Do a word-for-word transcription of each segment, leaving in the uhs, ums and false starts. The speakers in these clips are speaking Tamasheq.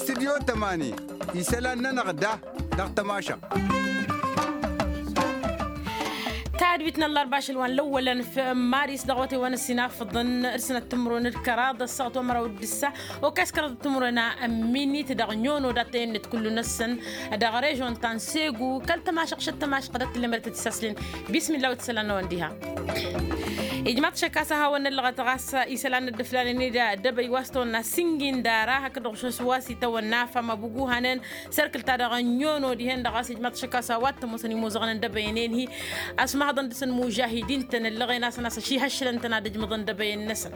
Studyo tămani isălan-nănăɣ da dăɣ-tămašăɣt. Tadwit n-ăllărba ašăl wa n-lăwwălăn f-maris dăɣ-wătewăn ăssinafăḍăn d-sănăt timǝrwen d-kăraḍ ăssaɣăt wa n-măraw d-ǝssa. Okăy s-kăraḍ timǝrwen a ămminit dăɣ-nyono dat-tăyănnet kullu-năsăn dăɣ-režon ta n-segu kăl-tămašăɣt šăt tămašăɣt dăɣ-t tǝllem dăɣ-t-tisăslen. Bismillah wa t-isălan n-ăwăn diha. Ijmaḍ-t šăkk a-s ad-hawăn-năllăɣăt ɣas isălan n-ăddăflanen-dd dăbăy wa s-tăwănna singindara hakd dăɣ-ušăs wa s-itawănna fama buguhanen. Sărkǝl-ta-dăɣ n-nyono dihen-dăɣ a-s ijmaḍ-t šăkk a-s a-wa t-ămoosăn imuzăɣăn n-dăbăyăn-en-hi. Ăsmahăḍăn dăɣ-săn mužahidin-tăn ǝllăɣen-asăn a-s ăšihăššǝlăn-tăn ad-ǝjmǝḍăn dăbăyăn-năsăn.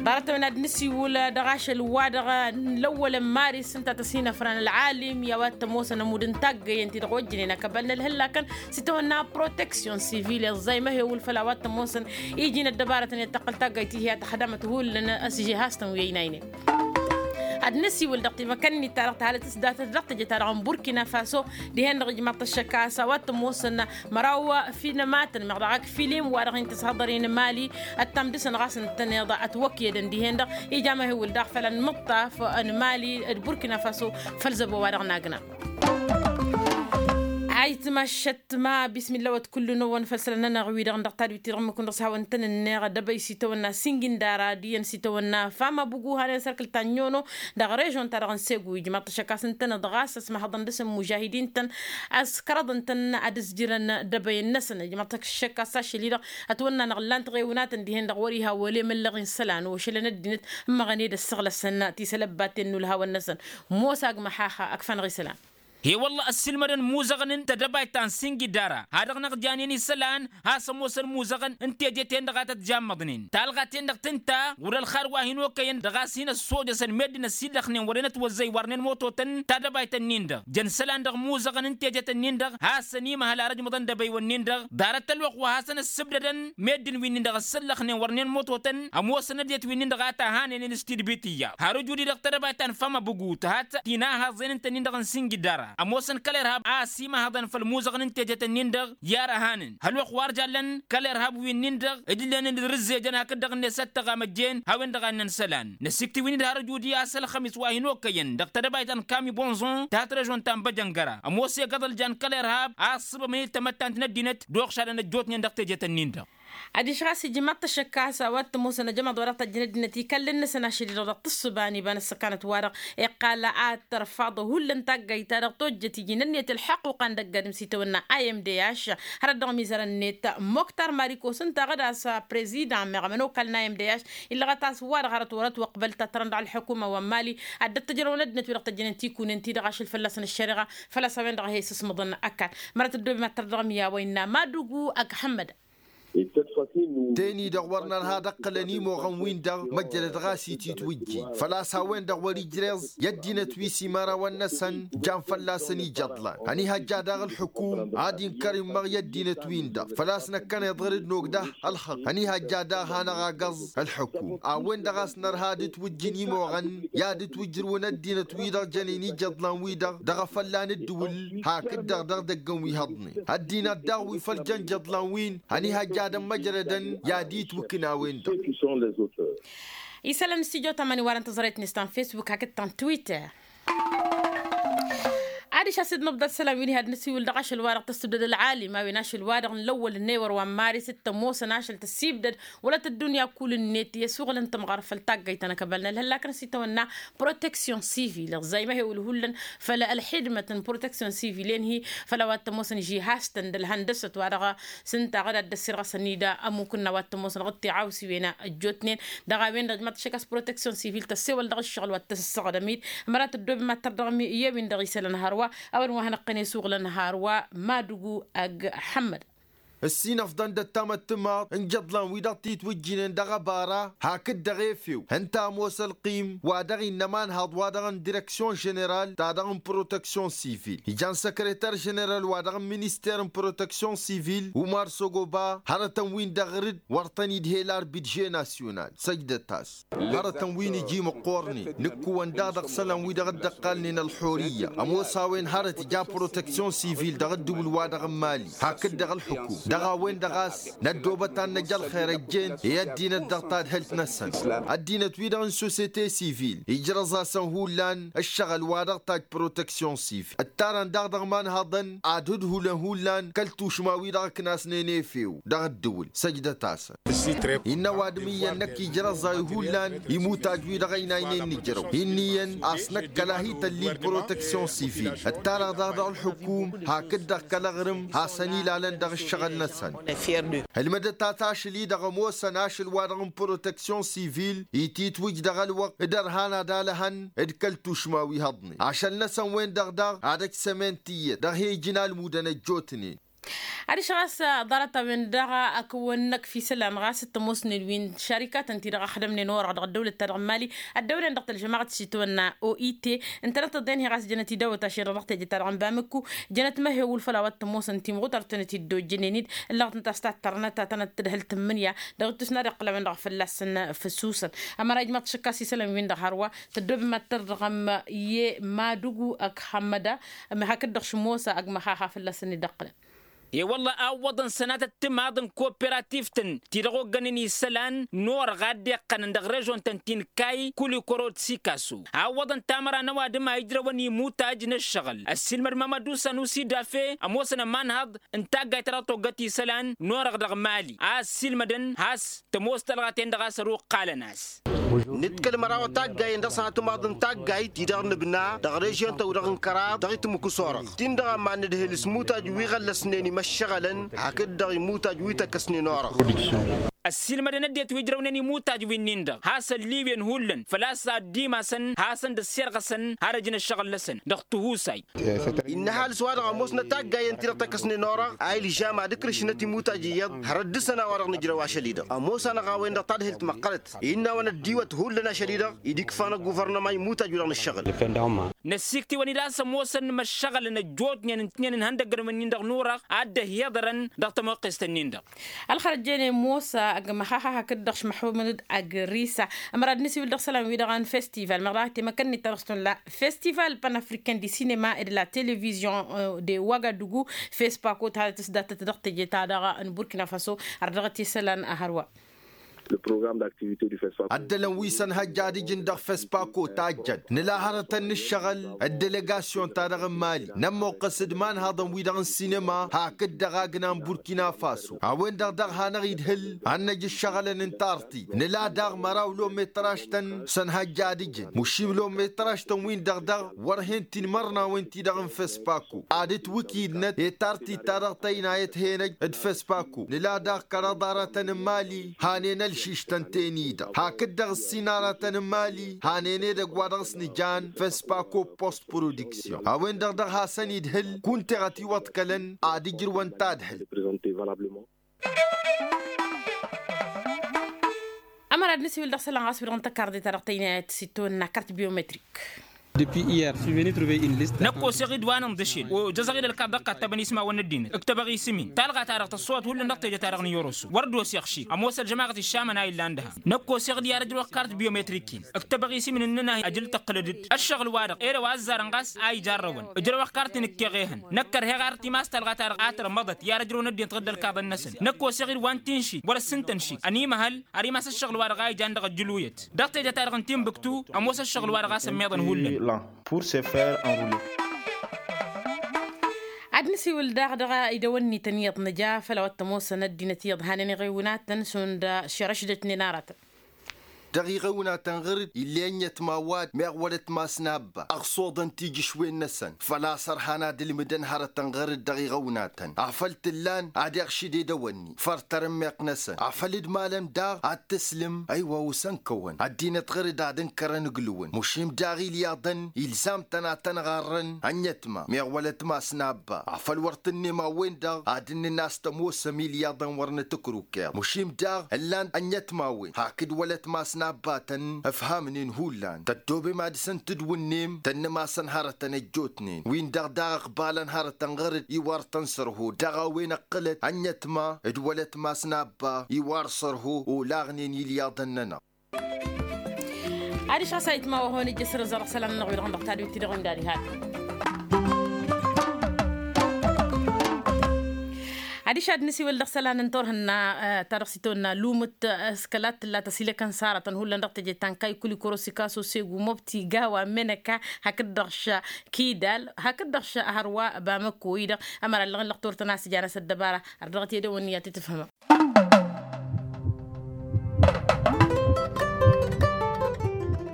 Ḍarăt-tăn ad-nǝsiwǝl dăɣ-ašăl-wa-dăɣ n-lăwwălăn maris ǝnta a tăsinăfran ălɣalim i-a-wa t-ămoosăn ămudd n-taggăyăn-ti-dăɣ ojjănen akăbal n-ălhăllakăn s-itawănna proteksyon sivil i-ăẓẓay măhewǝl făll-a-wa t-ămoosăn iji n-ăddăbarătăn i-ad-tăqqǝl taggayt-ti-hi ad-tăxdamăt hullan. Ăsžehastăn wi ăynaynen ad-năsiwǝl dăɣ-timăkăn-ni-ta-dăɣ tǝhalăt s-datăt dăɣ-teje-ta-dăɣ n-burkina faso. Dihen-dăɣ ijmaḍ-t ăššăk a-s a-wa t-ămoosăn măraw finămatăn meɣ dăɣ-ak filim wa dăɣ-hin-tǝshăḍăr-in mali. Ăttam dăɣ-săn ɣas ǝntăneḍ ătwăkyădăn dihen-dăɣ ija măhewǝl daɣ făll-anmǝṭṭaf n-mali d-burkina faso. Făll-zăbo wa dăɣ-nagna. Ayǝtma ăššăt ma bismillah wa t-kullu-năwăn făll-isălan-nănăɣ-wi-dăɣ dăɣ-tadwit-ti-dăɣ ǝmmǝk-wen-dăɣ s-hawăn-tăn-ǝnneɣ dăbăy s-itawănna singindara d-iyyăn s-itawănna fama buguhanen sărkǝl ta n-nyono. Dăɣ-režon-ta-dăɣ n-segu ijmaḍ-t ăššăk a-s ǝntăneḍ ɣas ăsmahăḍăn dăɣ-săn mužahidin-tăn a-s kăraḍăn-tăn ad-ǝzjǝrăn dăbăyăn-năsăn ijmaḍ-t ăššăk a-s ašăl-i-dăɣ ătwănna-năɣ ǝllan-t ɣewnatăn dihen-dăɣ wăr-iha wăle măllăɣ-in isălan ošălăn ăddinăt. Ǝmmăɣăn ed ăssăɣlăsăn tisălăbbaten n-ulhawăn-năsăn. Mosa g-măxaxa ăkf'-anăɣ isălan. He-wălla ăssiilmădăn imuzăɣăn n-tedăbayt ta n-singidara ha dăɣ-năɣ janen isălan. Has-ămoosăn imuzăɣăn n-teje-ten-dăɣ a tăt-jammăḍnen talɣa-ten-dăɣ tǝnta wăr-ălxad wa hin-okăyăn dăɣ-a-s hin-ăssojăsăn meddǝn ăsillăxnen wăren ătwăzzăy warnen moto-tăn. Tadăbayt-ǝnnin-dăɣ jăn isălan dăɣ-imuzăɣăn n-teje-tăn-in-dăɣ has-ănn imăhăl ar ǝjmǝḍăn dăbăywăn-nin-dăɣ ḍarăt ălwăqq wa hasăn-ăssǝbdădăn. Meddǝn wi-nin-dăɣ ăssăllăxnen wărnen moto-tăn ămoosăn ăddinăt wi-nin-dăɣ a tahănenen s-tidbit iyyăḍ har ǝjud-i dăɣ-tedăbayt ta n-fama bǝgu tǝhat tinahaẓen ǝnta-nin-dăɣ n-singidara ămoosăn kăl-irhab a ăsimăhăḍăn făll-imuzăɣăn n-tejet-nin-dăɣ. I-arăhanăn hăl-wăqq wa ărjallăn kăl-irhab wi-nin-dăɣ ǝjlǝnen d-rǝzzejăn hakd-dăɣ-net ăttăɣ amăjjen. Hawăn-dăɣ a ǝnnăn isălan năsikti wi-nin-dăɣ har ǝjud-i a-s ălxămis wa hin-okăyăn dăɣ-tedăbayt ta n-kami bonzon tăhat režon ta n-băjăngăra ămoos egăḍ ăljan kăl-irhab a ǝssǝbămăn i-tamăttant n-ăddinăt d-oɣšadăn ăjjootnen dăɣ-tejet-nin-dăɣ. Adiš ɣas ijmaḍ-t ăššăk a-s a-wa t-ămoosăn ajămaḍ wa dăɣ-tajjăn ăddinăt ikallăn-năsăn ašăl-i-dăɣ dăɣ-tǝssǝba n-iba n-ăssăkanăt-wa-dăɣ iqqal ad-tărfaḍ hullan taggayt-ta-dăɣ tojjăt iji n-ǝnniyăt ălḥăquqa n-dăgg-adǝm s-itawănna i m d h. Hărăt dăɣ-mizărăn-net moktar marikos ǝnta ɣǝd a-s prezidan meɣ ămănokal n-i m d h illăɣăt a-s wa-dăɣ hărăt wăr-ătwăqbăl ta tărăn dăɣ-ălḥukuma wa n-mali ad-dd-ăttăjrăwăn ăddinăt wi-dăɣ tăjjănen tikunen-ti-dăɣ ašăl fălla-săn ăššăreɣa. Făl-a-s a-wen-dăɣ a he-sǝsmăḍăn ăkall mărăt ăddoobem ad-tărdăɣăm i-a-wa innă madugu ăgg ḥămmăd. Teni-dăɣ wăr nărha ad-ǝqqǝlăn imoɣăn-win-dăɣ măjrăd ɣas ititwǝjjin făl-a-s a-wen-dăɣ wăr-ijreẓ i-ăddinăt wi s-imărawăn-năsăn. Jan fălla-săn ijăḍlan ănihăjja daɣ ǝlxǝkum ad-inkăr immăɣ i-ăddinăt-win-dăɣ făl-a-s năkkăneḍ ɣur-dd nogdăh. Ălxăqq ănihăjja daɣ hanăɣ-agăẓ ǝlxǝkum a-wen-dăɣ a-s nărha ad-ǝtwǝjjǝn imoɣăn i-ad-ǝtwǝjrǝwăn ăddinăt-wi-dăɣ jănen ijăḍlan-wi-dăɣ dăɣ-afălla n-ǝddǝwǝl. Hakd-dăɣ dăɣ-idăggăn wi hăḍnen ăddinăt daɣ wi făl jăn ijăḍlan-win ănihăjja ad-ămmăjrădăn i-ad-itwǝkna a-wen-dăɣ. Isălan n-stujo tamani warăn tăẓrayt-net ta n-facebook hakd ta n-twitter. Adiš a-s dd-nǝbḍăd isălan wi n-iha d-nǝsiwǝl dăɣ-ašăl-wa-dăɣ tăssibdăd ălɣalim a-wen ašăl-wa-dăɣ n-lăwwăl n-ewăr wa n-maris d-tămoosăn ašăl tăssibdăd wăla tăddunya kull-net i-ăsuɣǝlăn tămɣăr făll-taggayt ta n-akăbal n-ălhăllakăn s-itawănna proteksyon sivil ăẓẓay măhewǝl hullan. Făll-ălxidmăt n-proteksyon sivil-en-hi făll-a-wa t-ămoosăn žihastăn d-ălhăndăsăt wa dăɣ-s ǝnta ɣǝd ad-dd-ăssirɣăsăn-dd ămukǝnna wa t-ămoosăn ɣǝd tiɣawsiwen ăjjootnen. Dăɣ-a-wen-dăɣ ijmaḍ-t ăššăk a-s proteksyon sivil tăssewăl dăɣ-ǝššăɣǝl wa t-tăsǝssăɣdăm-dd măra tăddoobem ad-tărdăɣăm i-ewin dăɣ-isălan hărwa. A-wen wa hanăɣ-tăn-e-suɣǝlăn hărwa madugu ăgg ḥămmăd. Ǝssin ăfḍăn d-ăttamăttămaḍ n-ijăḍlan-wi-dăɣ titwǝjjǝnen dăɣ-ăbara hakd dăɣ-efew ǝnta ămoos ălqim wa dăɣ-innă ămanhaḍ wa dăɣ-n direksyon ženeral ta dăɣ-n proteksyon sivil ijan săkrăter ženeral wa dăɣ-n-minister n-proteksyon sivil umar sogoba hărătăn-win-dăɣ rǝd wăr tăn-idhel arbidže nasyonal săjdăt-as. Hărătăn wi n-iji măqqoornen nǝkkǝwăn daɣ dăɣ-isălan wi-dăɣ dd-ăqqalnen ălxurǝyya ămoos a-wen hărăt ija proteksyon sivil dăɣ-ǝddǝwǝl-wa-dăɣ n-mali hakd dăɣ-ǝlxǝkum. A-wen-dăɣ a-s năddoobăt ad-năj ălxer ăjjeen i-ăddinăt dăɣ-tadhǝlt-năsăn. Ăddinăt-wi-dăɣ n-sosete sivil ijrăẓ-asăn hullan ǝššăɣǝl wa dăɣ-tajj proteksyon sivil ǝttarăn daɣ dăɣ-imanhăḍăn ad-hǝdhulăn hullan kăl-tušma-wi-dăɣ ǝknasnen efew dăɣ-ǝddǝwǝl. Săjdăt-asăn. Innă ăwadǝm iyyăn năkk ijrăẓ-ay hullan imutaj-wi-dăɣ ăynaynen nǝjrăw inn'-iyyăn a-s năkk kăla hi-tăllil proteksyon sivil ǝttarăɣ daɣ dăɣ-ălḥǝkum hakd-dăɣ kăl-aɣrǝm hasăn-ilalăn dăɣ-ǝššăɣǝl-năsăn. Ǝlmǝdăt-as ašăl-i-dăɣ ămoosăn ašăl-wa-dăɣ n-proteksyon sivil ititwǝj dăɣ-ălwăqq d-ărhan ad-alăhăn d-kăl-tušma wi hăḍnen ašăl-năsăn-wen-dăɣ daɣ ad-ăj sămen tiyyăt dăɣ-he-ijǝn almudăn ăjjootnen. Adiš ɣas ḍarăt-a-wen-dăɣ akǝwăn-năkf isălan ɣas t-ămoosnen wi n-šarikatăn-ti-dăɣ ăxdămnen orăɣ dăɣ-ăddăwlăt-ta-dăɣ n-mali ăddăwlăn dăɣ-tălžămaɣăt s-itwănna o i t. Ǝntănăt tăḍen hi-ɣas jănăt idăwăt ašăl-dăɣ dăɣ-teje-ta-dăɣ n-bamǝkku jănăt măhewǝl făll-a-wa t-ămoosăn timɣutăr tănăt-dd-ojjănen ǝllăɣăt ǝnta a-s tattărnăt ad-tănăt-tǝdhǝl tǝmmǝnǝya dăɣ-ittus n-ad-iqqălămăn dăɣ-fălla-săn. Fǝsusăn ămăra ijmăḍ šăkk a-s isălan-win-dăɣ hărwa tăddoobem ad-tărdăɣăm i-madugu ăgg hămmăda hakd-dăɣ šǝmosa ăgg măxaxa fălla-săn-dd-ǝqqǝlăn. E-wălla a ǝwwăḍăn sănatăt timaḍ n-kooperativt-tăn ti-dăɣ oggănen isălan n-orăɣ a dd-iqqănăn dăɣ-režon-tăn ti n-kayy kulikoro d-sikaso a ǝwwăḍăn tamăra n-ăwadǝm a ijrăwăn imutaj n-ǝššăɣǝl ăssiilmăd mamădu sanusi dafe ămoosăn ămanhăḍ n-taggayt ta dăɣ-toggăt isălan n-orăɣ dăɣ-mali a ăssiilmădăn has-tămoos tălɣa-ten-dăɣ a-s ăruqqalăn-as. Nǝḍkăl măraw taggayen dăɣ-săn ătmaḍ n-taggayt-i-dăɣ nǝbna dăɣ-režyon-tăw-dăɣ n-kăraḍ dăɣ-itmǝk s-orăɣ ti-dăɣ a mannǝdhǝl s-imutaj wi ɣăllăsnen imăššăɣălăn hakd-dăɣ imutaj wi tăkkăsnen orăɣ. Ăssiilmădăn ăddinăt wi ǝjrăwnen imutaj wi-nin-dăɣ has-ălliwǝyăn hullan făl-a-s ad-dd-imasăn hasăn-dd-ăssirɣăsăn har ăjǝn ăššăɣǝl-năsăn dăɣ-tihusayt. Innă ăhalǝs-wa-dăɣ ămoosnăt taggayen-ti-dăɣ tăkkăsnen orăɣ a ilžam ad-ǝkrǝšnăt imutaj iyyăḍ hărăt dăr-săn a-wa-dăɣ nǝjrăw ašăl-i-dăɣ ămoos-anăɣ a-wen-dăɣ tadhǝlt măqqărăt. Innă a-wa năddiwăt hullan ašăl-i-dăɣ-i d-ikfa n-ăgguvărnăma imutaj-wi-dăɣ nǝššăɣǝl. Năssiktǝwăn-dd a-s ămoosăn imăššăɣǝlăn ăjjootnen ǝntǝnnen ǝnhăndăggăn wi-nin-dăɣ n-urăɣ a dd-ăhhiḍărăn dăɣ-tamăqqest-nin-dăɣ. Ălxărăt jene mosa ăgg măxaxa hakd-dăɣ šmăxmud ăgg-risa. Ămăra d-nǝsiwǝl dăɣ-isălan-wi-dăɣ n-festival meɣ dăɣ-a temăkăn-net ta dăɣ-s tănla festival panafricain di sinema ed la televizion de wagadugu. Fespako ta tǝsdatăt dăɣ-teje-ta-dăɣ n-burkina faso. Ar dăɣ-t isălan hărwa. Ăddălăn wi s-ănhăjja ad-ǝjǝn dăɣ-fespako tajjăn nǝla hărătăn n-ǝššăɣǝl ăddelegasyon-ta-dăɣ n-mali nămmoqqăs d-imanhăḍăn-wi-dăɣ n-sinema hakd-dăɣ agna n-burkina faso a-wen-dăɣ daɣ hanăɣ-idhǝl ad-năj ǝššăɣǝlăn n-tartit nǝla daɣ măraw lometraž-tăn s-ănhăjja ad-ǝjǝn mušim lometraž-tăn-win-dăɣ daɣ wăr hen tinmărnawen-ti-dăɣ n-fespako ad-ǝtwǝkidnăt i-tartit-ta-dăɣ tăynayăt henăj d-fespako nǝla daɣ kăraḍ aratăn n-mali hanen ălšištăn-ten-i-dăɣ hakd-dăɣ ǝssin aratăn n-mali hanen edăgg wa dăɣ-s nǝjan fespako post production a-wen-dăɣ daɣ hasăn-idhǝl kunta iɣăt iwăḍkălăn ad-ǝjrǝwăn tadhǝlt. Ămăra d-nǝsiwǝl dăɣ-isălan ɣas wi-dăɣ n-tăkarḍe-ta-dăɣ tăynayăt s-itwănna kart biometrik. Năkk oseɣ-dd wa n-inḍǝšel ojăẓăɣ-dd ălkaḍ dăɣ-kattăbăn ismawăn n-ăddinăt ǝktăbăɣ isǝm-in talɣa-ta-dăɣ tăṣṣăwăt hullan dăɣ-teje-ta-dăɣ n-iyoroso wăr dd-oseɣ šik ămoos ălžămaɣăt iššamăn a illan dăhan. Năkk oseɣ-dd i-ad-ăjrăwăɣ kart biometrik-in ǝktăbăɣ isǝm-in ǝnnăn-ahi ajǝl tăqqǝlăd-dd ăššăɣǝl-wa-dăɣ ere wa ăzzarăn ɣas a ijarrăwăn ǝjrăwăɣ kart-in ǝkkeɣ ehăn năkk ărheɣ ar timas talɣa-ta-dăɣ a tărmăḍăt i-ad-ăjrăwăn ăddinăt ɣǝddǝl kaḍăn-năsăn. Năkk oseɣ-dd wa n-tinši wăr-ăssintăn šik ănimăhăl ar imas ăššăɣǝl-wa-dăɣ a ijan dăɣ-ăjjǝluyăt dăɣ-teje-ta-dăɣ n-tinbǝktu. Ămoos ăššăɣǝl-wa-dăɣ a-s ămmiḍăn hullan. Ad-nǝsiwǝl daɣ dăɣ-idăwănni-tăn iyyăḍ nǝja făll-a-wa t-ămoosăn ăddinăt iyyăḍ hanen iɣewnatăn šund šerăšdătnen aratăn. Dăɣ-iɣewnatăn ɣǝr-dd ill'-e ăññătma wa-dd meɣ wălăt mas n-abba ăɣsoḍăn tijǝšwen-năsăn făl-a-s ărhan ad-ǝlmǝdăn hărătăn ɣǝr-dd dăɣ-iɣewnatăn afăl t-ǝllan ad-iɣšǝd edăwănni făr tarǝmmeɣt-năsăn afăl dd-malăm daɣ ad-t-ǝslǝm. Ăywa osăn kăwăn ăddinăt ɣǝr-dd ad-ǝnkărăn ǝglǝwăn mušim daɣ ilyaḍăn ilzam-tăn ad-tăn-ɣarrăn ăññătma meɣ wălăt mas n-abba afăl wăr tǝnnem a-wen-dăɣ ad-ǝnnǝn a-s tămoosăm ilyaḍăn wăr nǝtǝkrǝwkeḍ mušim daɣ ǝllan ăññătmawen hakd wălăt mas n-abba-tăn ǝfhamnen hullan tăddobem ad-dăr-săn tǝdwǝnnem tănnǝmasăn hărătăn ăjjootnen-win-dăɣ daɣ ǝqbalăn hărătăn ɣăr-dd iwar tăn-sărho dăɣ-a-wen ăqqǝlăt ăññătma d-wălăt mas n-abba iwar sărho olaɣnen ilyaḍăn-nănăɣ. Adiš ɣas a itma wa hon ǝjjǝs rǝẓăr ăsălan-nănăɣ wi-dăɣ n-dăɣ tadwit-ti-dăɣ imdad ihat. Adiš ad-nǝsiwǝl dăɣ-isălan n-turhǝnna ta dăɣ-s itawănna lumǝt s-kăla t-tǝlla tăsilăkăn s-aratăn hullan dăɣ-teje ta n-kaykulikoro sikaso segu mobti gawa menăka hakd-dăɣ ša kidal hakd-dăɣ ša hărwa bamăko-i-dăɣ. Ămăra ǝllăɣ n-lăxtor-tăn a-s ǝjanăs ăddăbara har dăɣ-t i-dăwăn iyyăt i-tǝfhǝmăm.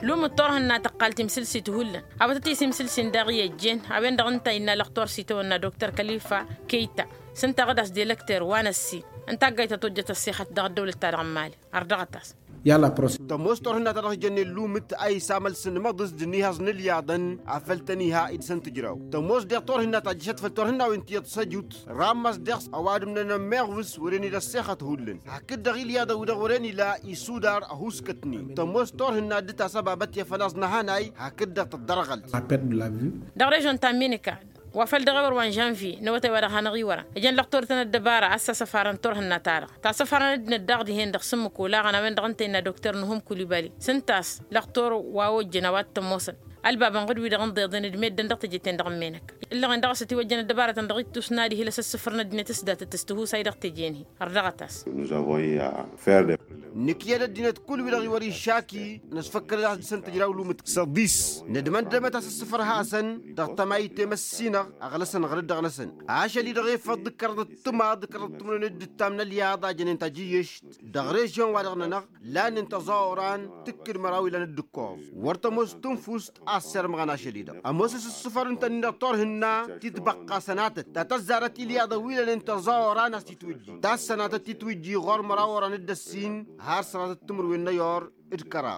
Lumǝt turhǝnna tăqqal timsǝlsit hullan a-wa tăt-isimsǝlsin daɣ i-ăjjeen a-wen-dăɣ ǝnta innă lăxtor s-itawănna doktor kălifa keyta. S-ǝnta ɣǝd-as d-elăkter wa n-ăssin n-taggayt ta tojjăt ăssixăt dăɣ-ăddăwlăt-ta-dăɣ n-imali. Ărdăɣăt-as. I-ad-la prost tămoos turhǝnna ta dăɣ-s jănnen lumǝt a isamăl s-inmăḍǝs d-inihaẓ n-ǝlyaḍăn. Afăl tăn-iha i-dăɣ-săn tǝjraw tămoos deɣ turhǝnna ta ǝjjăšăt făll-turhǝnnawen ti iyyăḍ săjut. Rammas deɣ s-ăwadǝm n-enămmeɣ vǝs wăren ila ăssixăt hullan hakd-dăɣ ǝlyaḍăn wi-dăɣ wăren ila isudar ăhuuskătnen tămoos turhǝnna dd-tasăbabăt i-afăl aẓ n-ahanay hakd-dăɣ tăddărɣălt. Dăɣ-režon ta n-minika wa făl dăɣ-ewăr wa n-žănvye n-awătay wa dăɣ-hanăɣ-iwărăn ijăn lăxtor-tăn ăddăbara a-s asăfarăn turhǝnna-ta-dăɣ tasăfarăn ăddinăt daɣ dihen-dăɣ s-ǝmmǝk olaɣăn a-wen-dăɣ ǝnta innă doktor nǝhum kulibali s-ǝnta a-s lăxtor wa ojjăn a-wa t-ămoosăn. Ălbabăn ɣǝd-wi-dăɣ ǝnḍeḍen d-meddǝn dăɣ-teje-ten-dăɣ n-menăk ǝllăɣen dăɣ-s ătiwăjjăn ăddăbarătăn dăɣ-ittus n-ad-ihǝl asǝssǝfăr n-ăddinăt s-datăt s-tihusay dăɣ-teje-ni. Ărdăɣăt-as. Nǝkyăd ăddinăt kull wi-dăɣ iwăr iššaki năsfăkkălăd a-s dăɣ-săn tǝjraw lumǝt s-ăḍis. Nădmăndămăt asǝssǝfăr hasăn dăɣ-tămayt temăssinăɣ ăɣlăsăn ɣǝrǝd dăɣ-năsăn. Ašăl-i-dăɣ efăḍ d-ǝkkărăḍăt timaḍ d-ǝkkărăḍăt timǝrwen d-ǝttam n-ălyaḍ a jănen tajǝyyešt dăɣ-režyon-wa-dăɣ-nănăɣ. Lannen tăẓaoran tǝkkǝd măraw ilan d-ǝkkoẓ wăr tămoos tǝnfust a ăssirmăɣăn ašăl-i-dăɣ ămoos asǝssǝfăr ǝnta-nin-dăɣ turhǝnna titbăqqa sănatăt ta tăzzarăt ilyaḍăn wi lănen tăẓaoran a-s titwǝjji ta s-sănatăt titwǝjji ɣur-măraw oran d-ăssin har sănatăt timǝrwen n-ayur d-kăraḍ.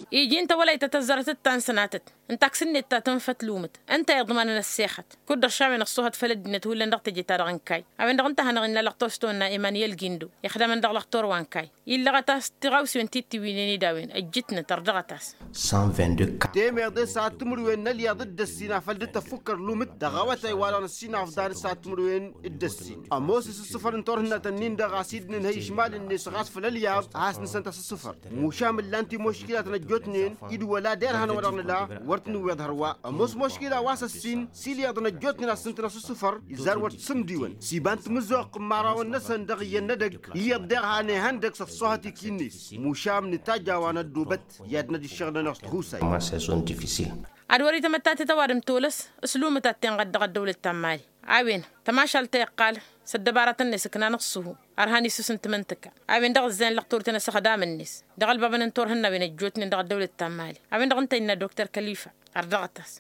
Iji n-tawălayt ta tăzzarăt d-ta n-sănatăt n-taksǝnnet ta tǝnfăt lumǝt ǝnta iḍmanăn ăssexăt kud-dăɣ šawen ăṣṣuhăt făll-ăddinăt hullan dăɣ-teje-ta-dăɣ n-kayy. A-wen-dăɣ ǝnta a hanăɣ-innă lăxtor s-tawănna emanyel gindo ixdamăn dăɣ-lăxtor wa n-kayy illăɣăt-as tiɣawsen tittǝwǝynen i-dawin ǝjjǝtnăt ărdăɣăt-as. Temeḍe s-ad-timǝrwen n-ălyaḍ d-ăssin afăl dd-tăffukkăr lumǝt dăɣ-awătay wa-dăɣ năssinafḍan s-ad-timǝrwen d-ăssin ămoos asǝssǝfăr n-turhǝnnatăn-nin-dăɣ a-s dd-nǝnhăy išmalăn-net ɣas făll-ălyaḍ a has-nǝsăn tasǝssǝfăr. Mušam ǝllan timoškilatăn ăjjootnen d-wăla derhan wa dăɣ-nǝla wăr t-nǝwweḍ hărwa ămoos moškila wa s-ăssin s-ilyaḍăn ăjjootnen a-s ǝntăn asǝssǝfăr izar wăr t-sǝmdiwăn s-iba n-timǝzzuɣt n-imărawăn-năsăn dăɣ-iyyăn n-edăgg. Iyyăḍ deɣ han ihăndăg s-ăṣṣuhăt ikinnes. Mušam nǝtajj a-wa n-ăddoobăt i-ad-năj ǝššăɣǝl-nănăɣ s-tihusay. Ad-wăr-itămăttat i-tăwadǝm tolăs s-lumǝt ad-tenɣăd dăɣ-ăddăwlăt ta n-mali. A-wen tămašalt ta iqqal s-ăddăbarătăn-net ǝknan ǝṣṣuhu ărhan isusǝn timǝntǝka. A-wen-dăɣ ǝzzayăn lăxtor-tăn asăxdam-net dăɣ-ălbabăn n-turhǝnnawen ăjjootnen dăɣ-ăddăwlăt ta n-mali. A-wen-dăɣ ǝnta innă doktor kălifa. Ărdăɣăt-as.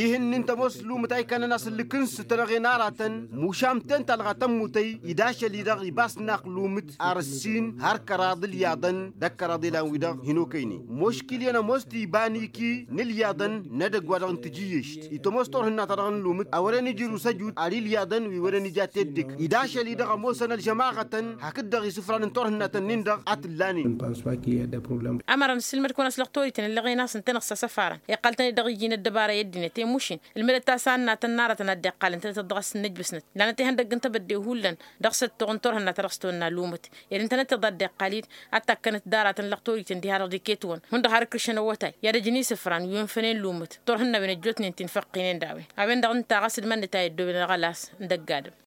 Ihǝnnin tămoos lumǝt a ikănăn asǝllǝk-ǝns tănăɣe n-aratăn mušam ten talɣa tămmutăy. Ed ašăl-i-dăɣ ibas naq lumǝt ar ǝssin har kăraḍ ǝlyaḍăn d-ăkkăraḍ ilan-wi-dăɣ hin-okăynen. Moškil iyyăn ămoos tibaniki n-ǝlyaḍăn n-edăgg wa dăɣ-n tǝjǝyyešt itămoos turhǝnna-ta-dăɣ n-lumǝt a wăren ijrǝw s-ăjut ar ilyaḍăn wi wăren ija teddek. Ed ašăl-i-dăɣ ămoosăn ălžămaɣătăn hakd-dăɣ isǝfran n-turhǝnnatăn-nin-dăɣ a t-ǝllanen. Ămăra nǝsǝlmăd-kăwăn a-s lăxtorităn ǝllăɣen a-s ǝntăneɣ s-asăfarăn iqqăl-tăn-dd dăɣ-iji n-ăddăbara i-ăddinăt i-mušin ǝlmǝdăt-as a ǝnnatăn n-aratăn ad-dd-iqqal ǝntăneɣ dăɣ-asǝnnǝjbǝsnăt. Lanăt ihăndăgg n-tebădde hullan dăɣ-săttoɣ n-turhǝnna ta dăɣ-s tăwănna lumǝt ed ǝntăneɣ tiḍa dd-iqqal-dd ad-takkănăt d-aratăn lăxtorităn diha-dăɣ d-iket-wăn hundăɣ har ǝkrǝšăn awătay i-ad-ăjăn isǝfra n-wi ǝnfănen lumǝt turhǝnnawen ăjjootnen ti n-făqqinen d-a-wen. A-wen-dăɣ ǝnta ɣas ǝdmănnăt a i-ăddooben ăɣălas n-dăgg-adǝm.